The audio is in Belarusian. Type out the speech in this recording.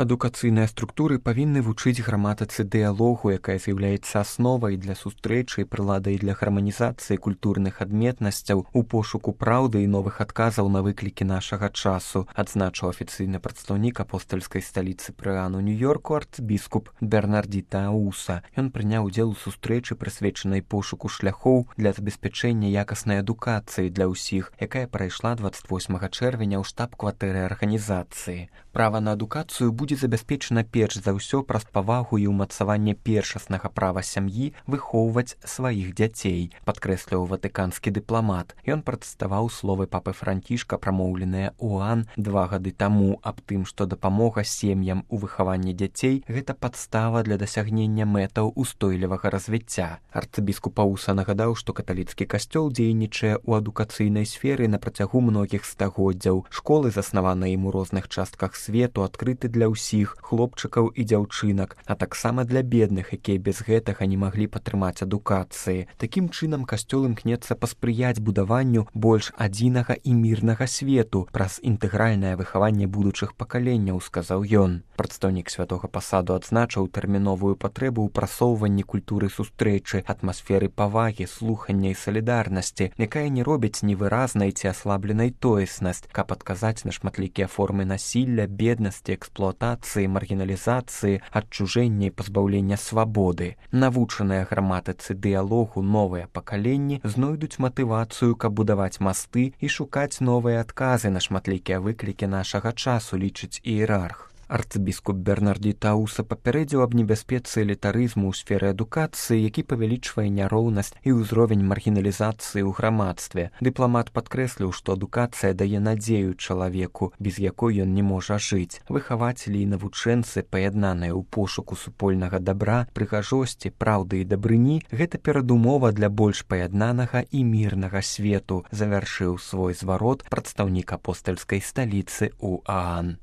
Адукацыйныя структуры павінны вучыць граматыцы дыялогу, якая з'яўляецца асновай для сустрэчы і прыладай для гарманізацыі культурных адметнасцяў у пошуку праўды і новых адказаў на выклікі нашага часу, адзначыў афіцыйны прадстаўнік апостальскай сталіцы пры ААН у Нью-Йорку арцбіскуп Бернардзіта Ауса. Ён прыняў удзел у сустрэчы, прысвечанай пошуку шляхоў для забеспячэння якаснай адукацыі для ўсіх, якая прайшла 28 чэрвеня ў штаб-кватэры арганізацыі. Права на адукацыю будзе забяспечана перш за ўсё праз павагу і ўмацаванне першаснага права сям'і выхоўваць сваіх дзяцей, падкрэсліў ватыканскі дыпламат. Ён працытаваў словы папы Францішка, прамоўленыя ў ААН 2 гады таму, аб тым, што дапамога сем'ям у выхаванні дзяцей – гэта падстава для дасягнення мэтаў устойлівага развіцця. Арцыбіскуп Ауса нагадаў, што каталіцкі касцёл дзейнічае ў адукацыйнай сферы на працягу многіх стагоддзяў. Школы, заснаваныя ім у розных частках свету, адкрыты для ўсіх хлопчыкаў і дзяўчынак, а таксама для бедных, якія без гэтага не маглі падтрымаць адукацыі. Такім чынам касцёл імкнецца паспрыяць будаванню больш адзінага і мірнага свету праз інтэгральнае выхаванне будучых пакаленняў, сказаў ён. Прадстаўнік святога пасаду адзначыў тэрміновую патрэбу ў прасоўванні культуры сустрэчы, атмасферы павагі, слухання і салідарнасці, якая не робіць невыразнай ці аслабленай тоеснасць, каб адказаць на шматлікія формы насілля, беднасці, эксплуатацыі, маргіналізацыі, адчужэння і пазбаўлення свабоды. Навучаныя граматыцы дыялогу новыя пакаленні знойдуць матывацыю, каб будаваць масты і шукаць новыя адказы на шматлікія выклікі нашага часу, лічыць іерарх. Арцыбіскуп Бернардзіта Ауса папярэдзіў аб небяспецы элітарызму ў сферы адукацыі, які павялічвае няроўнасць і ўзровень маргіналізацыі ў грамадстве. Дыпламат падкрэсліў, што адукацыя дае надзею чалавеку, без якой ён не можа жыць. Выхавацелі і навучэнцы, паяднаныя ў пошуку супольнага дабра, прыгажосці, праўды і дабрыні – гэта перадумова для больш паяднанага і мірнага свету, завяршыў свой зварот прадстаўнік апостальскай сталіцы ў ААН.